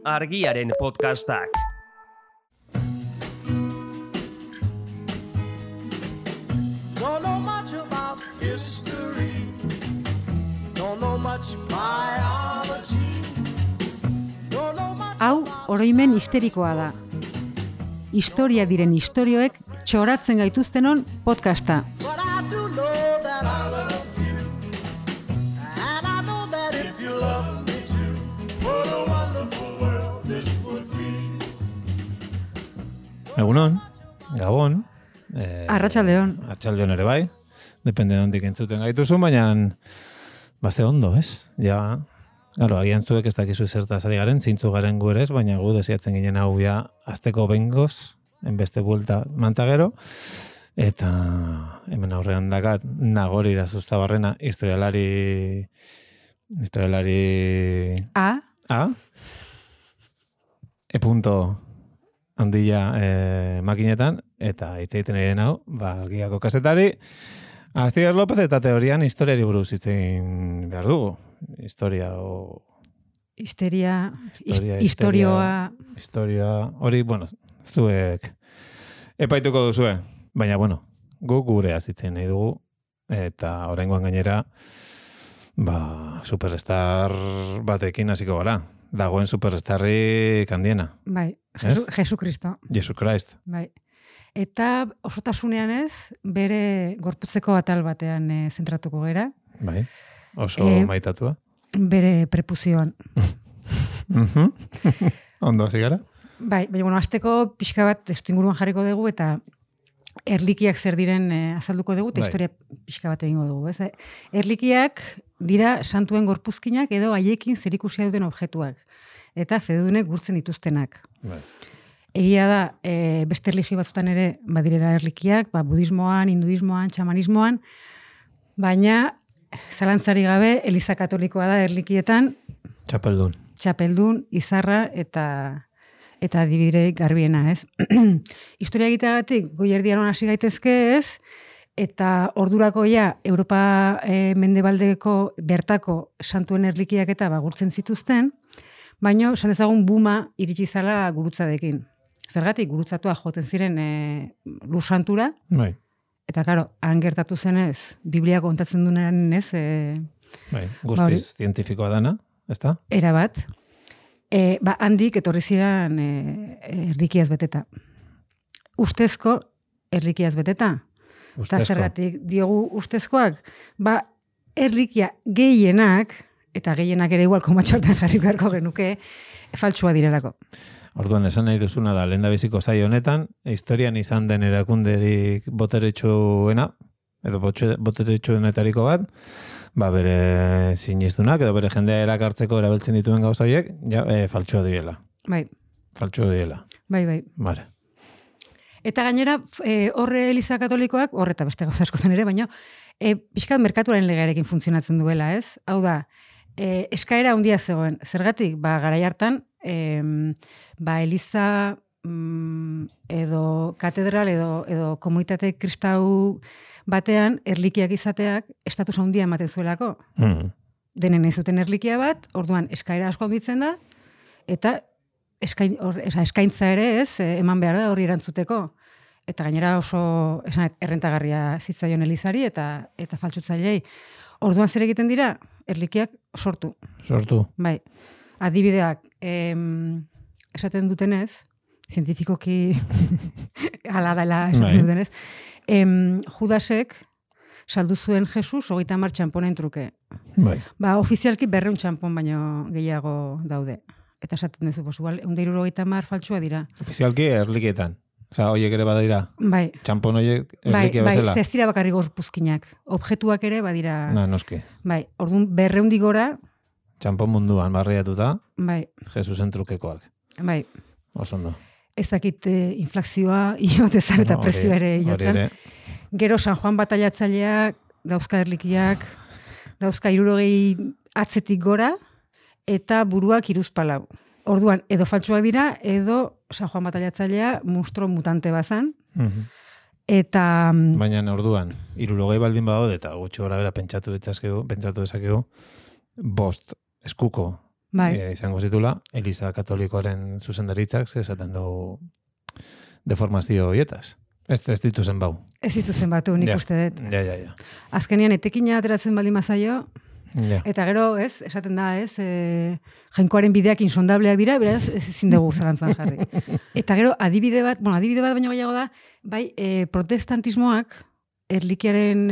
Argiaren podcastak. Don't know much about history. Don't know much biology. Don't know much. Hau, oroimen histerikoa da. Historia diren istorioek txoratzen gaituztenon podcasta. But I do know that I love you. And I know that if you love me too, what a wonderful world this would be. Egunon, Gabon. Arratsaldeon. Arratsaldeon ere bai. Depende de ondik entzuten gaituzu, baina baze ondo, ez? Ja, claro, agian zuek ez dakizu zertaz ari garen, zintzu garen gu ere ez, baina gu desiatzen ginen hau ja azteko bengoz, enbeste buelta mantagero, eta hemen aurrean dakat Nagori Irazustabarrena, historialari A. E-punto handia makinetan, eta hitz egiten ari den hau, Argiako kazetari, Astier López eta teorian historiari buruz hitz egin behar dugu. Historia, hori, bueno, zuek epaituko duzue, baina, bueno, guk gure azitzen nahi dugu, eta oraingoan gainera, superstar batekin hasiko gara. Dagoen superstarrik handiena. Bai, Jesu Kristo. Jesu Christ. Bai. Eta osotasunean ez, bere gorputzeko atal batean zentratuko gera. Bai, oso maitatua. Bere prepuzioan. Ondo hasi gara? Bai, baina, bueno, azteko pixka bat testuinguruan jarriko dugu, eta erlikiak zer diren azalduko dugu, eta historia pixka bat egingo dugu. Ez? Erlikiak dira santuen gorpuzkinak edo haiekin zerikusia duten objektuak. Eta fededunek gurtzen dituztenak. Bai. Egia da, beste erlijio batzutan ere badirera erlikiak, budismoan, hinduismoan, txamanismoan, baina zalantzari gabe Eliza Katolikoa da erlikietan txapeldun, izarra eta adibide garbiena, ez? Historia egiteagatik goierdiaron hasi gaitezke, ez? Eta ordurako ja Europa mendebaldeko bertako santuen erlikiak eta gurtzen zituzten, baina esan dezagun buma iritsi zala gurutzadekin. Zergatik gurutzatua joten ziren lur santura, bai. Eta, karo, han gertatu zenez, Biblia kontatzen duenaren ez... guztiz zientifikoa dana, ezta? Era bat. Handik etorri ziren erlikiaz beteta. Ustezko erlikiaz beteta. Eta zergatik diogu ustezkoak, erlikia gehienak, eta gehienak ere igual komatxoetan jarri beharko genuke, faltsua direlako. Orduan, esan nahi duzuna da, lehendabiziko saio honetan, historian izan den erakunderik boteretsuena, edo boteretsuenetariko bat, bere sinistunak, edo bere jendea erakartzeko erabiltzen dituen gauza horiek, faltsua direla. Bai. Faltsua direla. Bai. Bare. Eta gainera, horre Eliza Katolikoak, horreta beste gauza askotan ere, baina, pixkat merkaturaren legearekin funtzionatzen duela, ez? Hau da, eskaera handia zegoen. Zergatik, garai hartan, Eliza edo katedral edo komunitate kristau batean erlikiak izateak estatus handia ematen zuelako. Denen ez zuten erlikia bat, orduan eskaera asko handitzen da, eta eskaintza ere ez, eman behar da horri erantzuteko. Eta gainera oso errentagarria zitzaion Elizari eta faltsutzailei. Orduan zer egiten dira? Erlikiak sortu. Bai. Adibideak, esaten dutenez, zientifikoki ala dela esaten dutenez, Judasek saldu zuen Jesus 30 txamponen truke. Bai. Ofizialki 200 txampon baino gehiago daude. Eta esaten duzu, 170 faltsua dira. Ofizialki erlikietan. Osa, hoiek ere badira. Bai. Txampon hoiek erlikia bezala. Bai, zestira bakarri gorpuzkinak. Objektuak ere badira. Noski. Bai, orduan 200 gora. Txampon munduan barriatuta. Bai. Jesusen trukekoak. Bai. Osondo. Ezakit inflazioa, iotezar eta prezio ere iotzen. Gero San Juan bataiatzaileak, dauzka erlikiak, dauzka 60 atzetik gora, eta buruak hiruzpalau. Orduan, edo faltsuak dira, edo San Juan bataiatzailea monstruo mutante bazan. Eta... Baina orduan, 60 baldin badaude, eta gutxi gora bera pentsatu dezakegu, 5 eskuko Bai. Izango zitula, Eliza Katolikoaren zuzendaritzak esaten du deformazio hoietaz. Ez dituzen bau. Ez dituzen batu, nik uste dut. Ja. Azkenean, etekina ateratzen baldin mazaio, Ja. eta gero, esaten da, jainkoaren bideak insondableak dira, beraz, ezin dugu zalantzan jarri. Eta gero, adibide bat baino gehiago da, bai, protestantismoak erlikiaren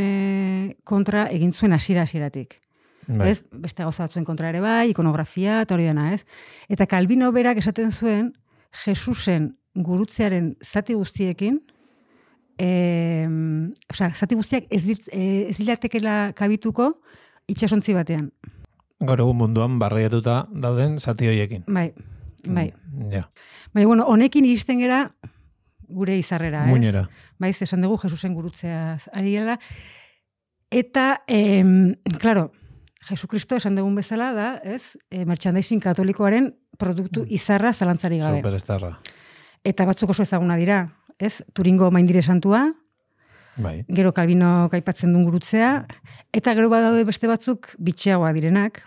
kontra egin zuen hasieratik. Bai. Ez, beste gauza batzuen kontra ere bai, ikonografia, eta hori dena, ez? Eta Calvino berak esaten zuen, Jesusen gurutzearen zati guztiekin, zati guztiak ez dilatekela kabituko itxasontzi batean. Gaur egun munduan barriatuta dauden zati hoiekin. Bai. Ja. Bai, bueno, honekin iristen gera gure izarrera, ez? Muinera. Baiz, esan dugu Jesusen gurutzeaz ari gela. Eta, claro, Jesukristo esan dugun bezala da, ez? Merchandising katolikoaren produktu izarra zalantzari gabe. Superestarra. Eta batzuk oso ezaguna dira, ez? Turingo maindire santua, Bai. gero Calvino aipatzen duen gurutzea, eta gero badaude beste batzuk bitxeagoa direnak.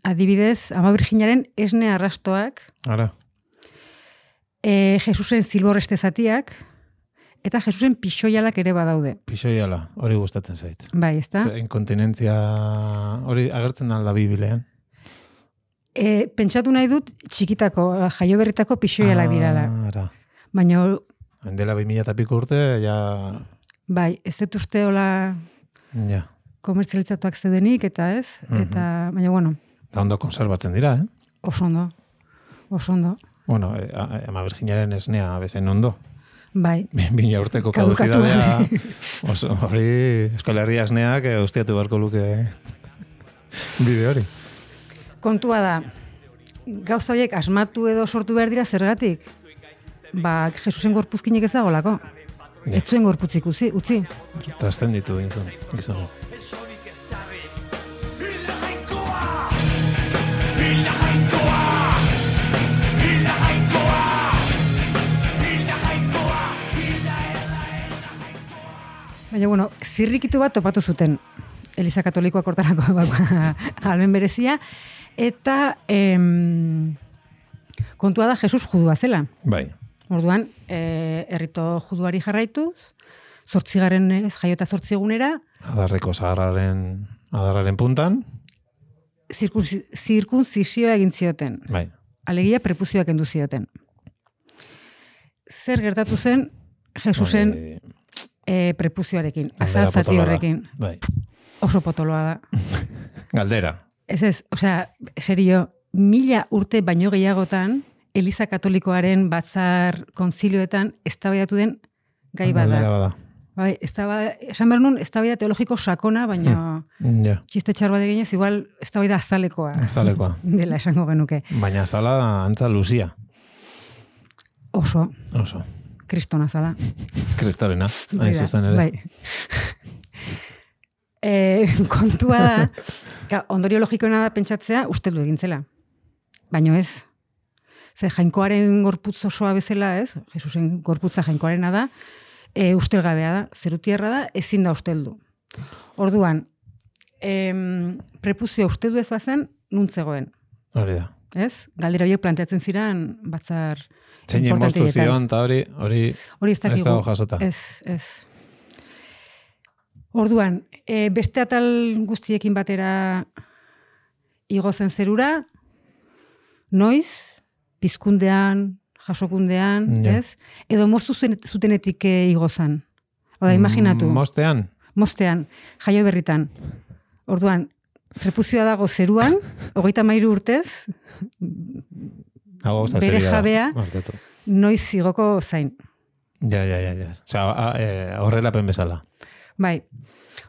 Adibidez, Ama Virginaren esne arrastoak, Ara. Jesusen zilborreste zatiak, eta Jesusen pixoialak ere badaude. Pixoiala, hori gustatzen zait. Bai, ezta? Inkontinentzia hori agertzen alda Biblian. Pentsatu nahi dut txikitako, jaioberritako pixoialak dirala. Ara. Baina, Dela 2000 eta piko urte, ja... bai, ez dut uste hola Ja. komertzializatuak zedenik, eta ez? Eta, baina, bueno, Eta ondo konserbatzen dira, oso ondo. Bueno, Ama Virginaren esnea bezain ondo. Bai. 2000 urteko Kadukatu kaduzidadea. Hori, Euskal Herria esneak ustiatu beharko luke bide hori. Kontua da, gauza horiek asmatu edo sortu behar dira zergatik? Ba, Jesusen gorpuzkinik ez dagolako. Ja. Ez zuen gorputzik utzi. Trascenditu gizon. Baina, bueno, zirrikitu bat topatu zuten Eliza Katolikoak hortarako almen berezia, eta kontua da Jesus judua zela. Bai. Orduan, errito juduari jarraituz, 8. jaiota 8 egunera, Adarreko adarraren puntan. zirkunzisioa egin zioten. Bai. Alegia prepuzioak kendu zioten. Zer gertatu zen Jesusen prepuzioarekin, azal zati horrekin. Bai. Oso potoloa da. Galdera. Ez, osea, serio, 1000 urte baino gehiagotan, Eliza Katolikoaren batzar kontzilioetan eztabaidatu den gai Galdera bada. bada. Bai, esan behar nun, eztabaida teologiko sakona, baina Ja. txiste txar bat eginez, igual eztabaida azalekoa Azalekoa. dela esango genuke. Baina azala antza luzia. Oso, Oso. kristona zala. Kristorena, hain zuzen ere. Bai. Kontua da, ondorio logikoena da pentsatzea usteldu egin zela. Baino ez. Ze jainkoaren gorputz osoa bezala, ez? Jesusen gorputza jainkoarena da, ustelgabea da, zerutierra da, ezin da usteldu. Orduan, prepuzioa usteldu ez bazen, nuntzegoen. Hori da. Ez? Galdera horiek planteatzen ziren batzar Zein moztu zion, eta hori ez dakigu. dago jasota. Ez. Orduan, beste atal guztiekin batera igo zen zerura, noiz, pizkundean, jasokundean, Ja. ez? Edo moztu zutenetik igo zen. Oda, imaginatu. Moztean, jaio berritan. Orduan, prepuzioa dago zeruan, 33 urtez, bere jabea, noiz igoko zain. Ja. Osea, horrelapen bezala. Bai.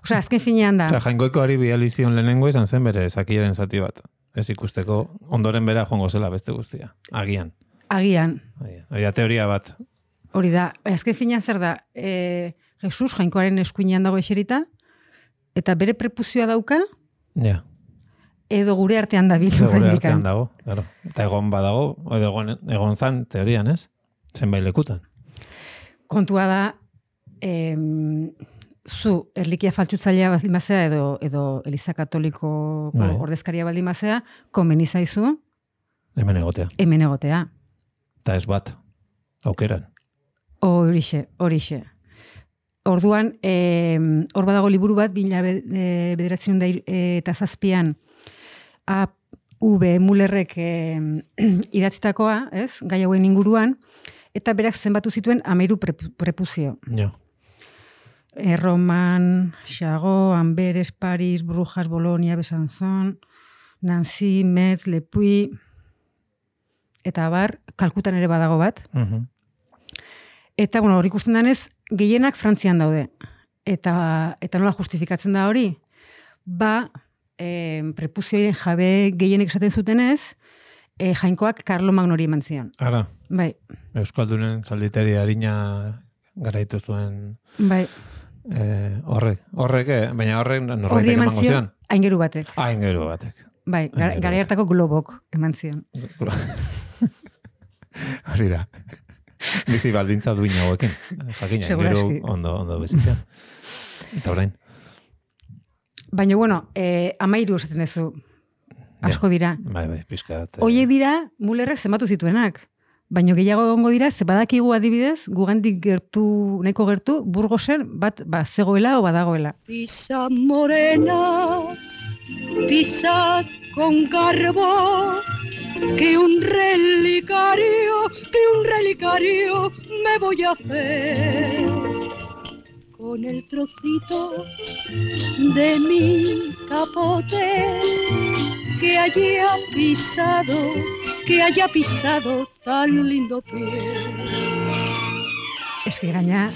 Osea, azken finean da. Osea, jainkoikoari bidalizion lehenengo izan zen bere zakiaren zati bat. Ez ikusteko ondoren bera joango zela beste guztia. Agian. Hori da teoria bat. Hori da. Azken finean zer da, Jesus jainkoaren eskuinean dago eserita, eta bere prepuzioa dauka, Ja. edo gure artean da bil. Gure artean dago, claro. Eta egon badago, edo egon zan teorian, ez? Zenbait lekutan. Kontua da, zu erlikia faltsutzailea baldin bazea edo Eliza Katoliko Bai. ordezkaria baldin bazea, komeni zaizu Hemen egotea. Hemen egotea. Eta ez bat, aukeran. Horixe. Orduan, hor badago liburu bat, 1907 A.V. Mullerrek idatzitakoa, ez? Gai hauen inguruan, eta berak zenbatu zituen 13 prepuzio. Ja. Roman, Chagot, Amberes, Paris, Brujas, Bolonia, Besanzon, Nancy, Metz, Le Puy, eta bar, Kalkutan ere badago bat. Eta, bueno, hori ikusten danez, gehienak Frantzian daude. Eta nola justifikatzen da hori? Prepuzioen jabe gehienek esaten zutenez, jainkoak Karlo Magnori eman zion. Ara. Bai. Euskaldunen zalditeri harina garaitu zuen. Bai. Horrek, baina horrek norbaitek emango zion. Aingeru batek. Aingeru batek. Bai, gara hartako globok eman zion. Hori da. Bizi baldintza duin hauekin. Jakina, aingeru ondo bizitzen. Eta orain. Baina, bueno, 13 esaten duzu. Asko dira. Bai, pizkat. Hoiek dira, Mullerrek zenbatu zituenak. Baina gehiago egongo dira, ze badakigu adibidez, gugandik nahiko gertu, Burgosen bat zegoela o badagoela. Pisa morena, pisa con garbo, que un relicario me voy a hacer. Con el trocito de mi capote que haya pisado tan lindo pie. Es que gaina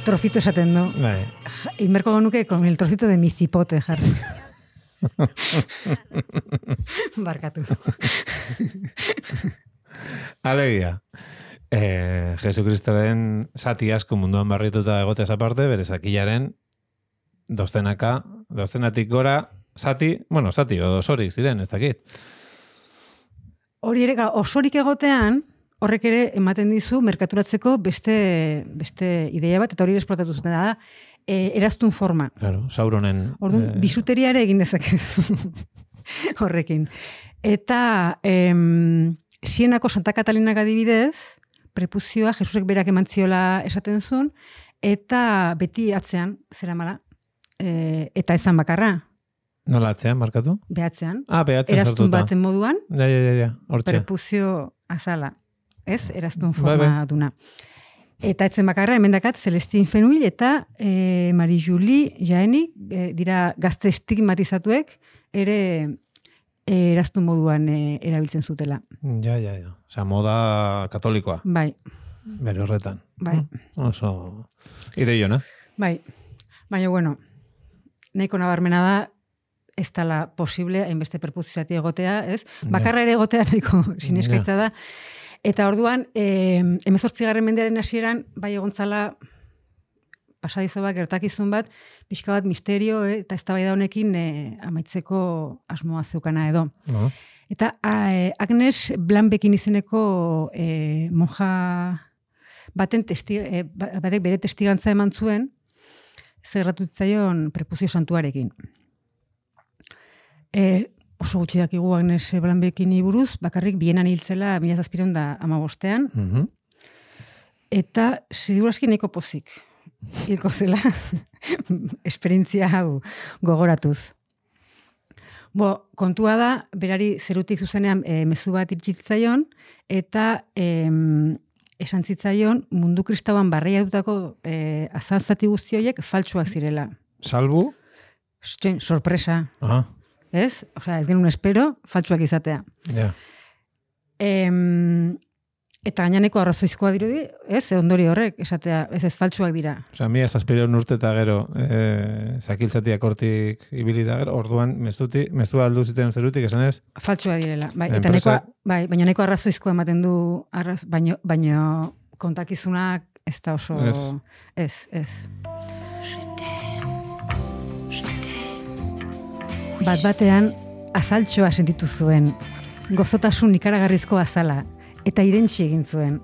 trocito esaten du. Bai. Inmerko genuke con el trocito de mi cipote jarri. Barkatu. Alegia. Jesukristoren zati asko munduan barrituta egoteaz aparte, bere zakilaren dozenatik gora zati edo osorik ziren, ez dakit. Hori ere, osorik egotean, horrek ere ematen dizu merkaturatzeko beste ideia bat, eta hori esplotatu zuten da, eraztun forma. Claro, Sauronen... Orduan, bisuteria ere egin dezakezu horrekin. Eta Sienako Santa Katalinak adibidez, prepuzioa Jesusek berak emantziola esaten zuen, eta beti atzean, zeramala, eta ezan bakarra. Nola atzean, markatu? Behatzean. Behatzean eraztun sartuta. baten moduan, Ja, hortxe. prepuzio azala. Ez? Eraztun forma duna. Eta etzen bakarra, emendakat, Celestine Fenouil eta Marie-Julie Jaeni, dira gazte estigmatizatuek, ere eraztun moduan erabiltzen zutela. Ja. Osa, moda katolikoa. Bai. Bere horretan. Bai. Oso ideiona. Bai. Baina, bueno, nahiko nabarmena da, ez dala posible, hainbeste perpuzizati egotea, ez? Bakarra ere egotea nahiko sineskaitza da. Eta orduan, 18. mendearen hasieran, bai egontzala pasadizo bat, gertakizun bat, pixka bat misterio eta eztabaida honekin amaitzeko asmoa zeukana edo. Eta Agnes Blanbekin izeneko monja batek bere testigantza eman zuen, zerratu zitzaion prepuzio santuarekin. Oso gutxi dakigu Agnes Blanbekin buruz, bakarrik Bienan hiltzela 1715. Eta segurazki nahiko pozik hilko zela esperientzia hau gogoratuz. Kontua da, berari zerutik zuzenean mezu bat irtsitzaion, eta esan zitzaion mundu kristauan barreiatutako azalzati guzti horiek faltsuak zirela. Salbu? Sorpresa. Ez? Osea, ez genuen espero, faltsuak izatea. Ja. Eta gainaneko arrazoizkoa dirudi, ez? Ondori horrek, esatea, ez faltsuak dira. Osea, 1700 urte eta gero zakiltzatiak hortik ibili da gero, orduan mezua aldu ziten zerutik, esan ez? Faltsua direla. Bai, eta baina neko arrazoizkoa ematen du, baina kontakizunak ez da oso... Ez. Bat-batean azaltxoa sentitu zuen, gozotasun ikaragarrizko azala, eta irentsi egin zuen.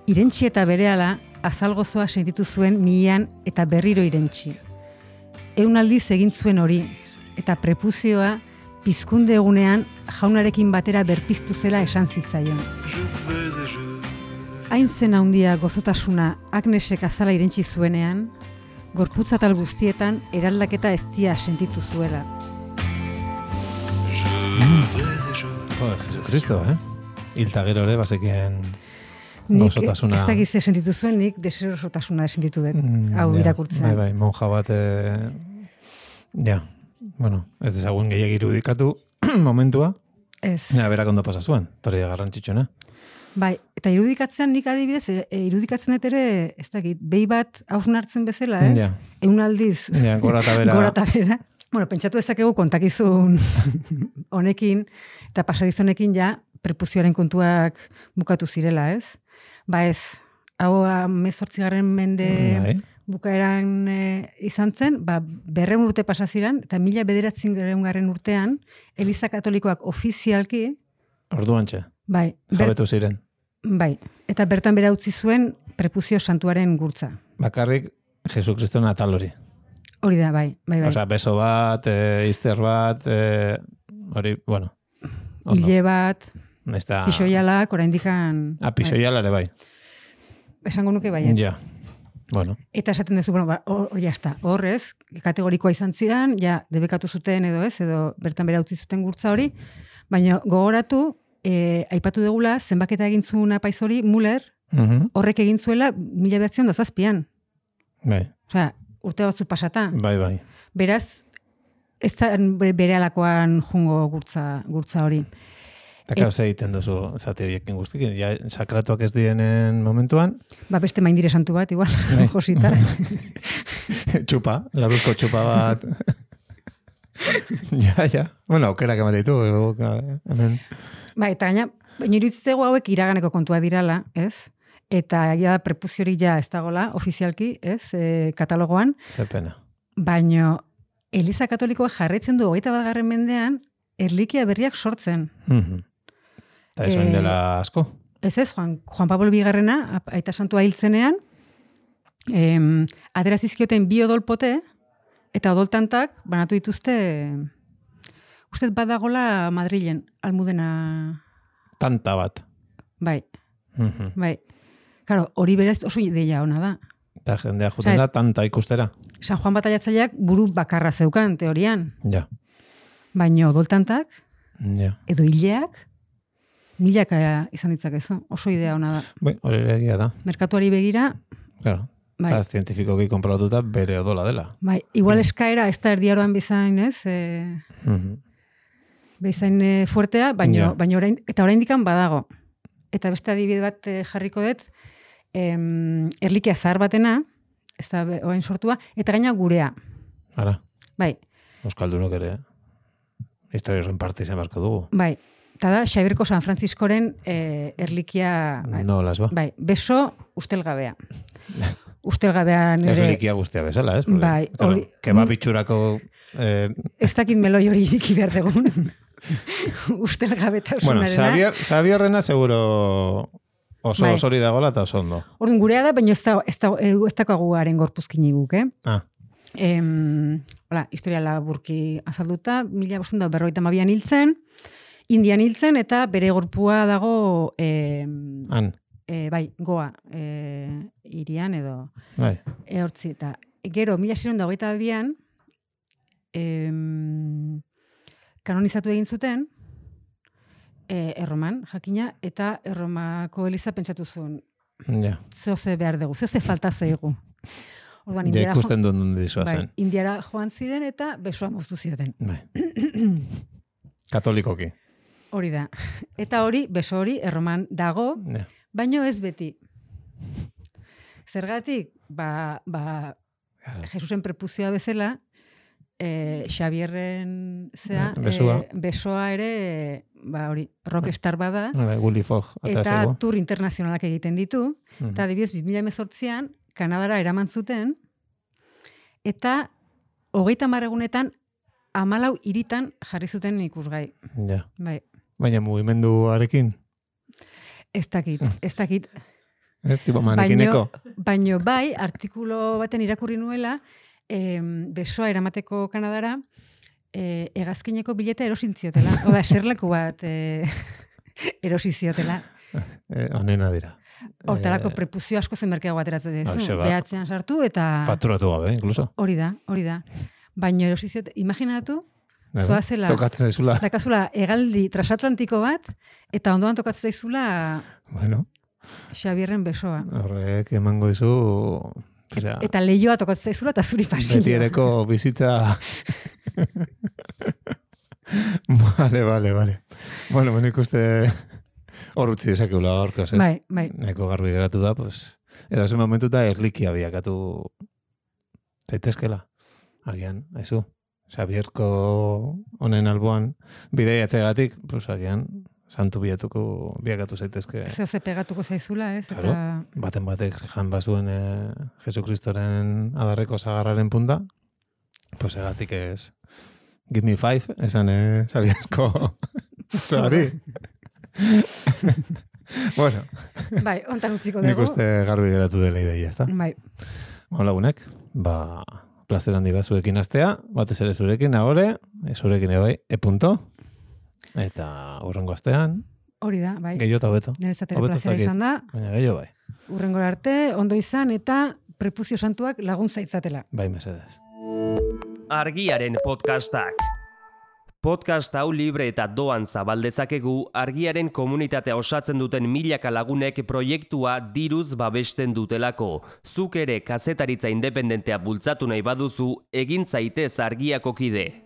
Irentsi eta berehala azal gozoa sentitu zuen mihian eta berriro irentsi. 100 aldiz egin zuen hori, eta prepuzioa pizkunde egunean jaunarekin batera berpiztu zela esan zitzaion. Hain zen handia gozotasuna Agnesek azala irentzi zuenean, gorputzatal guztietan eraldaketa eztia sentitu zuela. Jesucristo, Hilta gero ere, bazekien Nik gozotasuna. ez dakiz sentitu zuen, nik deserosotasuna sentitu dut, hau irakurtzen. Bai, monja bat, ez dezagun gehiagik irudikatu momentua, Ez. berak ondo pasa zuen, torri garrantzitsuena. Bai, eta irudikatzean nik adibidez, irudikatzen dut ere, ez dakit, behi bat hausnartzen bezala, ez? Ja. Eun aldiz, Gora eta bera. gora eta bera. Bueno, pentsatu ezakegu kontakizun honekin, eta pasadizonekin ja, prepuzioaren kontuak bukatu zirela, ez? Ba ez, hau 18. mende Bai. bukaeran izan zen, 200 urte pasa ziren, eta 1900 urtean, Eliza Katolikoak ofizialki, Orduantxe, bai, jabetu ziren. bai, eta bertan bera utzi zuen prepuzio santuaren gurtza. Bakarrik Jesukriston atal hori. Hori da, bai. Osea, beso bat, izter bat, hori, bueno. Ondo. Hile bat, Esta... pixoialak, oraindikan... Pixoialare bai. Esango nuke baietz. Ja, bueno. Eta esaten duzu, bueno, hor jazta, horrez, kategorikoa izan ziren, ja, debekatu zuten edo ez, edo bertan bera utzi zuten gurtza hori, baina gogoratu, aipatu degula, zenbaketa egin zuen apaiz hori, Muller, horrek egin zuela 1907an. Bai. Osea, urte batzu pasata. Bai. Beraz, ez da bere alakoan jungo gurtza hori. Eta kauz egiten duzu zati horiekin guztikin. Ja, sakratuak ez direnen momentuan. Beste maindire santu bat, igual, josita. Txupa, laruzko txupa bat. Ja. Bueno, aukerak emate ditu. Hemen. Eta gaina, baina iruditzego hauek iraganeko kontua dirala, ez? Eta ja prepuziorik ja ez dagola, ofizialki, ez? Katalogoan. Zer pena. Baina Eliza Katolikoa jarraitzen du 21. mendean erlikia berriak sortzen. Eta ez dela asko. Ez, Juan Pablo Bigarrena, aita santua hiltzenean, atera zizkioten 2 odolpote, eta odoltantak banatu dituzte, uste badagola Madrilen, Almudena... Tanta bat. Bai. Claro, hori berez oso ideia ona da. Eta jendea juten da tanta ikustera. San Juan Bataiatzaileak buru bakarra zeukan, teorian. Ja. Baina odoltantak, Ja. edo hileak, milaka izan ditzakezu. Oso idea ona da. Bai, hori egia da. Merkatuari begira, Claro. bai. Eta zientifikoki konprobatuta bere odola dela. Bai, igual eskaera ez da erdiaroan bezain, ez? Bezain fuertea, baina oraindikan badago. Eta beste adibide bat jarriko dut, erlikia zahar batena, ez da orain sortua, eta gaina gurea. Ara, Bai, euskaldunok ere historia horren parte izan beharko dugu. bai. Eta da, Xabierko San Frantziskoren erlikia... No, las ba. Bai, beso ustelgabea. Ustelgabean ere... Erlikia guztia bezala, ez? Bai, hori... Kebab itxurako... Ez dakit meloi hori iriki behar dugun. Ustelgabetasunarena. Bueno, Xabierrena seguro oso Bai. osori dagoela eta oso ondo. Orduan gurea da, baina ez dagoagu haren gorpuzkini guk, Ah, Hola, historia laburki azalduta, 1552an hiltzen, Indian hiltzen, eta bere gorpua dago han, bai, Goa irian edo bai. hortzi. Eta gero, 1622an kanonizatu egin zuten, Erroman, jakina, eta Erromako Eliza pentsatu zuen, Ja. zehoze behar dugu, zehoze falta zaigu. Orduan, Ja ikusten duen dizua bai, zen. Indiara joan ziren eta besoa moztu zioten. Bai. Katolikoki. Hori da. Eta hori, beso hori, Erroman dago, Ja. baino ez beti. Zergatik, Jesusen prepuzioa bezala, Xabierren besoa ere, hori, rockstar bada, Willy Fogg. eta tour internazionalak egiten ditu, eta adibidez, 2018an, Kanadara eraman zuten, eta 30 egunetan 14 hiritan jarri zuten ikusgai. Ja. Bai, Baina mugimenduarekin. ez dakit. Ez, tipo manekineko. Baino bai, artikulo baten irakurri nuela, besoa eramateko Kanadara, hegazkineko bileta erosin ziotela. Oda, eserleku bat erosi ziotela. Honena dira. Hortarako prepuzio asko zen merkeago ateratzen Hoxe dezu. ba. Behatzean sartu eta... Fakturatu gabe, incluso. Hori da. Baina erosi ziote, imaginatu, zoazela... Tokatzen zaizula. Dakazula, hegaldi transatlantiko bat, eta ondoan tokatzen zaizula Bueno, Xabierren besoa. horrek emango dizu... Osea, Eta lehioa tokatzen zaizula eta zuri pasilloa. betiereko bizitza... Vale. Bueno, nik uste hor utzi dezakeula gaurkoz, ez? Bai. Neko garbi geratu da, pues... Edo zen momentuta erlikia biakatu zaitezkela. Agian, haizu. Xabierko honen alboan bideiatzegatik, pues agian santu biakatu zaitezke. Ze pegatuko zaizula, ez? Claro, baten batek jan bazuen Jesukristoren adarreko zagarraren punta, pues egatik ez give me 5, esan Xabierko zoari. Bueno, Bai, ontan utziko nik dugu. uste garbi geratu dela ideia, ezta? Bai. Lagunek, plazer handi bat zuekin astea, batez ere zurekin, ahore, zurekin ebai, punto. Eta urrengo astean, Hori da, bai. gehiago eta hobeto. Niretzat ere Hobeto plazera zakit, izan da. Baina gehiago bai. Urrengora arte, ondo izan eta prepuzio santuak laguntza itzatela. Bai, mesedez. Argiaren podcastak. Podcast hau libre eta doan zabaldezakegu Argiaren komunitatea osatzen duten milaka lagunek proiektua diruz babesten dutelako. Zuk ere kazetaritza independentea bultzatu nahi baduzu, egin zaitez Argiako kide.